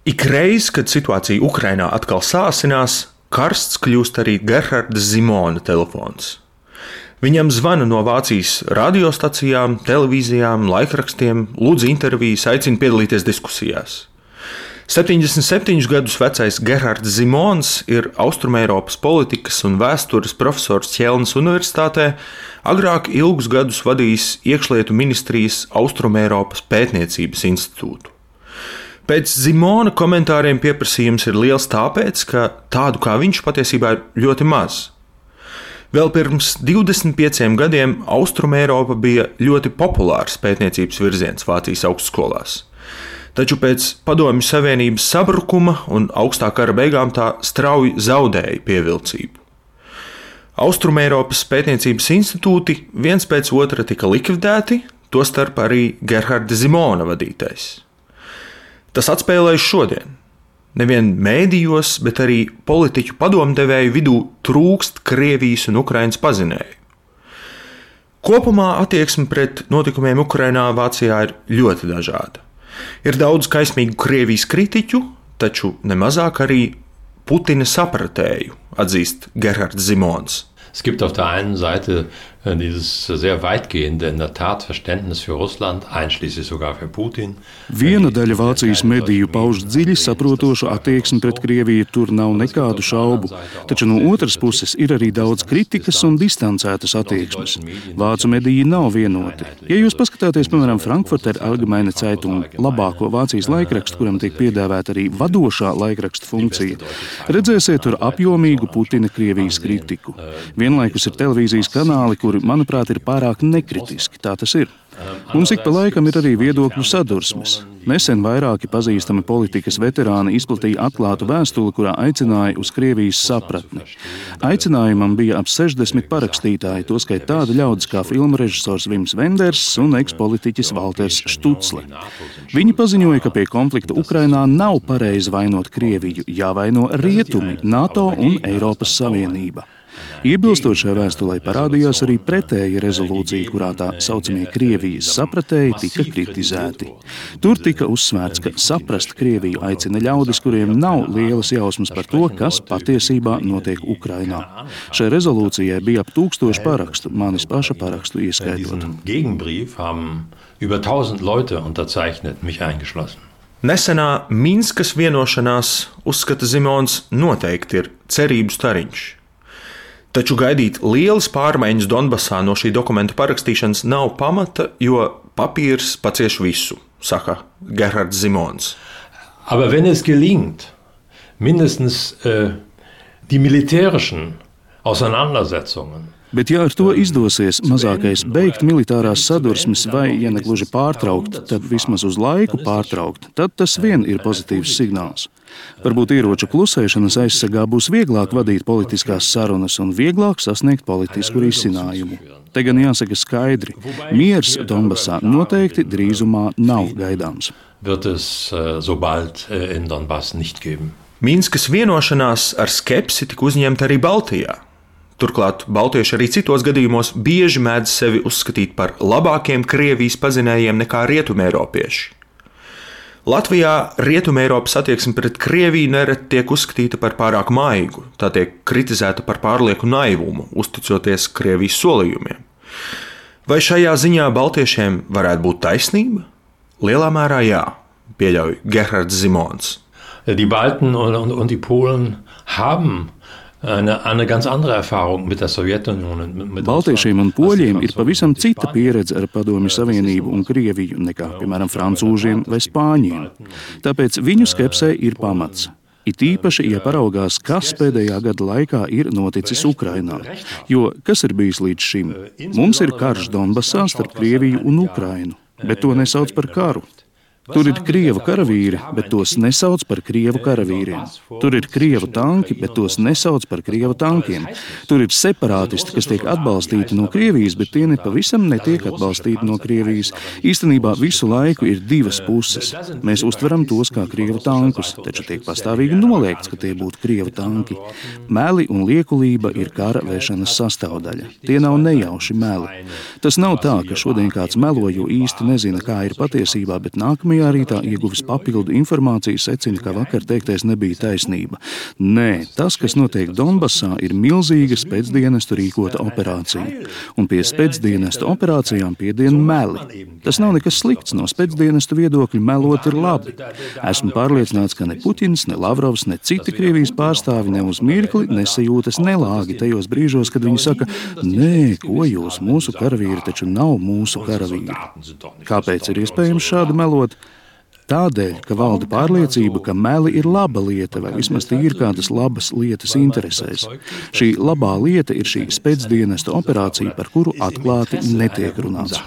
Ikreiz, kad situācija Ukrainā atkal sāsinās, karsts kļūst arī Gerharda Zimona telefons. Viņam zvana no Vācijas radiostacijām, televīzijām, laikrakstiem, lūdz intervijas, aicina piedalīties diskusijās. 77 gadus vecais Gerhards Zimons ir Austrumeiropas politikas un vēstures profesors Ķelnas Universitātē, agrāk ilgus gadus vadījis iekšlietu ministrijas Austrumeiropas pētniecības institūtu. Pēc Zimona komentāriem pieprasījums ir liels tāpēc, ka tādu kā viņš patiesībā ir ļoti maz. Vēl pirms 25 gadiem Austrumeiropa bija ļoti populārs pētniecības virziens Vācijas augstskolās. Taču pēc Padomju Savienības sabrukuma un augstā kara beigām tā strauji zaudēja pievilcību. Austrumeiropas pētniecības institūti viens pēc otra tika likvidēti, tostarp arī Gerharda Zimona vadītais. Tas atspēlējas šodien. Nevien mēdījos, bet arī politiķu padomdevēju vidū trūkst Krievijas un Ukrainas pazinēju. Kopumā attieksme pret notikumiem Ukrainā Vācijā ir ļoti dažāda. Ir daudz kaismīgu Krievijas kritiķu, taču nemazāk arī Putina sapratēju, atzīst Gerhards Zimons. Es gibt auf der einen Seite dieses sehr weitgehende, in der Tat, Verständnis für Russland, einschließlich sogar für Putin. Viena daļa Vācijas mediju pauž dziļi saprotošu attieksmi pret Krieviju, tur nav nekādu šaubu. Taču no otras puses ir arī daudz kritikas un distancētas attieksmes. Vācu mediji nav vienoti. Ja jūs paskatāties, piemēram, Frankfurter Allgemeine Zeitung, labāko Vācijas laikrakstu, kuram tiek piedāvāta arī vadošā laikraksta funkcija, redzēsiet tur apjomīgu Putina Krievijas kritiku. Vienlaikus ir televīzijas kanāli, kuri, manuprāt, ir pārāk nekritiski. Tā tas ir. Mums ik pa laikam ir arī viedokļu sadursmes. Nesen vairāki pazīstami politikas veterāni izplatīja atklātu vēstuli, kurā aicināja uz Krievijas sapratni. Aicinājumam bija ap 60 parakstītāji, toskait tādi ļaudis kā filmu režisors Vims Venders un ekspolitiķis Valters Štucle. Viņi paziņoja, ka pie konflikta Ukrainā nav pareizi vainot Krieviju, jāvaino rietumi, NATO un Eiropas Savienība. Iebilstot šai vēstulei parādījās arī pretēja rezolūcija, kurā tā saucamie Krievijas sapratēji tika kritizēti. Tur tika uzsvērts, ka saprast Krieviju aicina ļaudis, kuriem nav lielas jausmas par to, kas patiesībā notiek Ukrainā. Šai rezolūcijai bija ap 1000 parakstu, manis paša parakstu ieskaitot. Gegenbrief haben über 1000 Leute unterzeichnet, mich eingeschlossen. Nesenā Minskas vienošanās, uzskata Zimons, noteikti ir cerību stariņš. Taču gaidīt lielas pārmaiņas Donbasā no šī dokumenta parakstīšanas nav pamata, jo papīrs pacieš visu, saka Gerhards Zimons. Aber wenn es gelingt, mindestens die militärischen Auseinandersetzungen. Bet ja ar to izdosies mazākais beigt militārās sadursmes vai, ja ne gluži pārtraukt, tad vismaz uz laiku pārtraukt, tad tas vien ir pozitīvs signāls. Varbūt ieroču klusēšanas aizsargā būs vieglāk vadīt politiskās sarunas un vieglāk sasniegt politisku risinājumu. Te gan jāsaka skaidri, miers Donbasā noteikti drīzumā nav gaidāms. Wird es so bald in Donbass nicht geben. Minskas vienošanās ar skepsi tika uzņemta arī Baltijā. Turklāt baltieši arī citos gadījumos bieži mēdz sevi uzskatīt par labākiem Krievijas pazinējiem nekā rietumeiropieši. Latvijā rietumeiropas attieksme pret Krieviju nereti tiek uzskatīta par pārāk maigu, tā tiek kritizēta par pārlieku naivumu, uzticoties Krievijas solījumiem. Vai šajā ziņā baltiešiem varētu būt taisnība? Lielā mērā jā, pieļauj Gerhards Zimons. Die Balten und die Polen haben eine ganz andere Erfahrung mit der Sowjetunion. Baltiešiem un poļiem ir pavisam cita pieredze ar Padomju Savienību un Krieviju nekā, piemēram, francūžiem vai spāņiem. Tāpēc viņu skepsē ir pamats. It īpaši, ja paraugās, kas pēdējā gada laikā ir noticis Ukrainā. Jo kas ir bijis līdz šim? Mums ir karš Donbasā starp Krieviju un Ukrainu, bet to nesauc par karu. Tur ir krievu karavīri, bet tos nesauc par krievu karavīriem. Tur ir krievu tanki, bet tos nesauc par krievu tankiem. Tur ir separātisti, kas tiek atbalstīti no Krievijas, bet tie nepavisam netiek atbalstīti no Krievijas. Īstenībā visu laiku ir divas puses. Mēs uztveram tos kā krievu tankus, taču tiek pastāvīgi noliegts, ka tie būtu krievu tanki. Meli un liekulība ir kara vešanas sastāvdaļa. Tie nav nejauši meli. Tas nav tā, ka šodien kāds melo, jo īsti nezina, kā ir patiesībā, bet nākamajā nākamajā rītā ieguvis papildu informāciju, secina, ka vakar teiktais nebija taisnība. Nē, tas, kas notiek Donbasā, ir milzīga spēcdienestu rīkota operācija. Un pie spēcdienestu operācijām piedien meli. Tas nav nekas slikts, no spēcdienestu viedokļa melot ir labi. Esmu pārliecināts, ka ne Puķins, ne Lavrovs, ne citi Krievijas pārstāvi ne uz mirkli nesajūtas nelāgi tajos brīžos, kad viņi saka, nē, ko jūs, mūsu karavīri taču nav mūsu karavīri. Kāpēc ir iespējams šādi melot? Tādēļ, ka valda pārliecība, ka meli ir laba lieta, vai vismaz ir kādas labas lietas interesēs. Šī labā lieta ir šī spēcdienestu operācija, par kuru atklāti netiek runāts.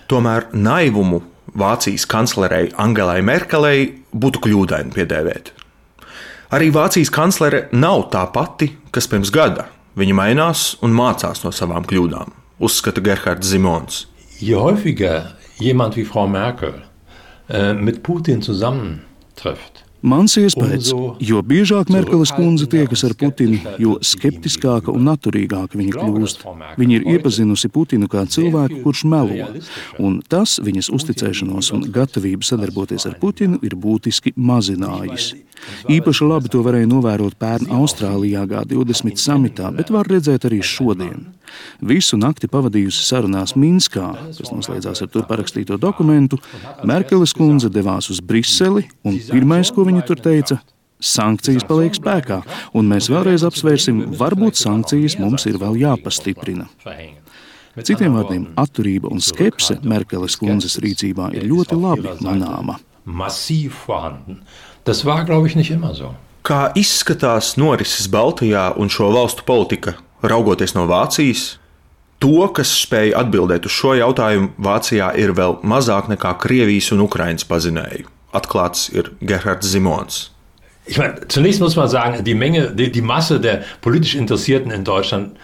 Tomēr naivumu Vācijas kanclerei Angelai Merkelei būtu kļūdaini piedēvēt. Arī Vācijas kanclere nav tā pati, kas pirms gada. Viņa mainās un mācās no savām kļūdām, uzskata Gerhards Simons. Je häufiger jemand wie Frau Merkel mit Putin zusammentrifft, Mans iespējas, jo biežāk Merkeles kundze tiekas ar Putinu, jo skeptiskāka un naturīgāka viņa kļūst. Viņa ir iepazinusi Putinu kā cilvēku, kurš melo, un tas viņas uzticēšanos un gatavību sadarboties ar Putinu ir būtiski mazinājis. Īpaši labi to varēja novērot pērn Austrālijā G20 samitā, bet var redzēt arī šodien. Visu nakti pavadījusi sarunās Minskā, kas noslēdzās ar tur parakstīto dokumentu, Merkeles kundze devās uz Briseli, un pirmais, ko viņa tur teica, sankcijas paliek spēkā, un mēs vēlreiz apsvērsim, varbūt sankcijas mums ir vēl jāpastiprina. Citiem vārdiem, atturība un skepse Merkeles kundzes rīcībā ir ļoti labi manāma. Tas war, glaube ich, nicht immer so. Kā izskatās norises Baltijā un šo valstu politika, raugoties no Vācijas? To, kas spēja atbildēt uz šo jautājumu, Vācijā ir vēl mazāk nekā Krievijas un Ukrainas pazinēju. Atklāts ir Gerhards Simons. Ich meine, zunächst muss man sagen, die Masse der politisch Interessierten in Deutschland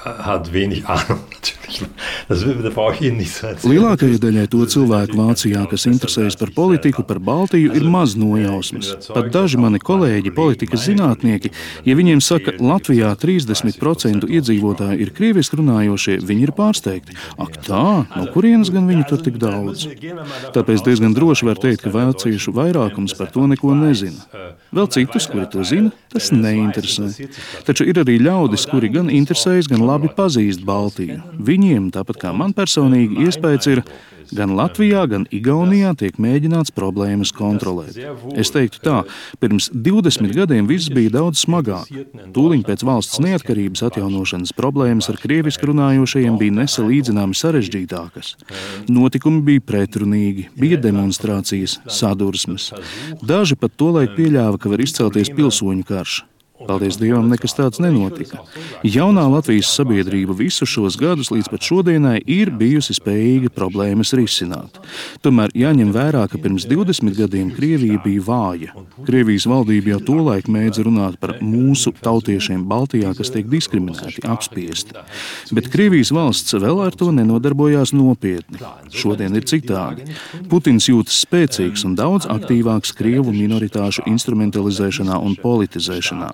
hat wenig Ahnung, natürlich. Das brauche ich Ihnen nicht zu erzählen. Lielākajai daļai to cilvēku Vācijā, kas interesējas par politiku, par Baltiju, ir maz nojausmas. Pat daži mani kolēģi, politikas zinātnieki, ja viņiem saka, Latvijā 30% iedzīvotāji ir krieviski runājošie, viņi ir pārsteigti. Ak tā, no kurienes gan viņi tur tik daudz? Tāpēc diezgan droši var teikt, ka vāciešu vairākums par to neko nezina. Vēl citus, kuri to zina, tas neinteresē. Taču ir arī ļaudis, kuri gan interesējas, gan labi pazīst Baltiju. Viņiem, tāpat kā man personīgi, iespējas ir, gan Latvijā, gan Igaunijā tiek mēģināts problēmas kontrolēt. Es teiktu tā, pirms 20 gadiem viss bija daudz smagāk. Tūliņ pēc valsts neatkarības atjaunošanas problēmas ar krieviski runājošajiem bija nesalīdzināmi sarežģītākas. Notikumi bija pretrunīgi, bija demonstrācijas, sadursmes. Daži pat tolaik pieļāva, ka var izcelties pilsoņu karš. Paldies Dievam, nekas tāds nenotika. Jaunā Latvijas sabiedrība visus šos gadus līdz pat šodienai ir bijusi spējīga problēmas risināt. Tomēr jāņem vērā, ka pirms 20 gadiem Krievija bija vāja. Krievijas valdība jau tolaik mēdza runāt par mūsu tautiešiem Baltijā, kas tiek diskriminēti, apspiesti. Bet Krievijas valsts vēl ar to nenodarbojās nopietni. Šodien ir citādi. Putins jūtas spēcīgs un daudz aktīvāks Krievu minoritāšu instrumentalizēšanā un politizēšanā.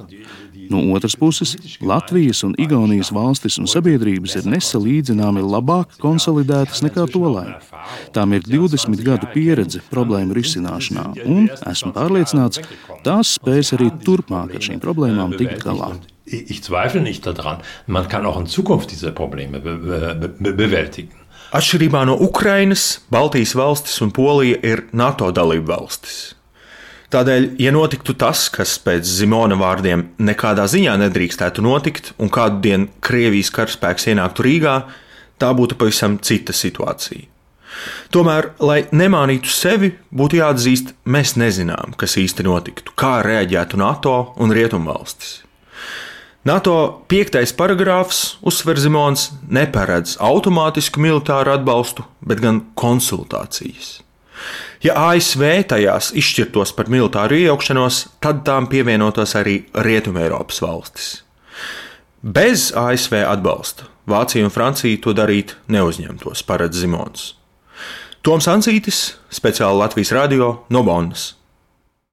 No otras puses, Latvijas un Igaunijas valstis un sabiedrības ir nesalīdzināmi labāk konsolidētas nekā tolaik. Tām ir 20 gadu pieredze problēmu risināšanā, un esmu pārliecināts, tās spēs arī turpmāk ar šīm problēmām tikt galā. Ich zweifle nicht daran, man kann auch in Zukunft diese Probleme bewältigen. Atšķirībā no Ukrainas, Baltijas valstis un Polija ir NATO dalību valstis. Tādēļ, ja notiktu tas, kas pēc Simona vārdiem nekādā ziņā nedrīkstētu notikt, un kādu dienu Krievijas karaspēks ienāktu Rīgā, tā būtu pavisam cita situācija. Tomēr, lai nemānītu sevi, būtu jāatzīst, mēs nezinām, kas īsti notiktu, kā reaģētu NATO un Rietumvalstis. NATO 5. paragrāfs, uzsver Simons, neparedz automātisku militāru atbalstu, bet gan konsultācijas. Ja ASV tajās izšķirtos par militāru iejaukšanos, tad tām pievienotos arī Rietumeiropas valstis. Bez ASV atbalsta Vācija un Francija to darīt neuzņemtos, paredz Simons. Toms Ancītis, speciāli Latvijas radio no Bonnas.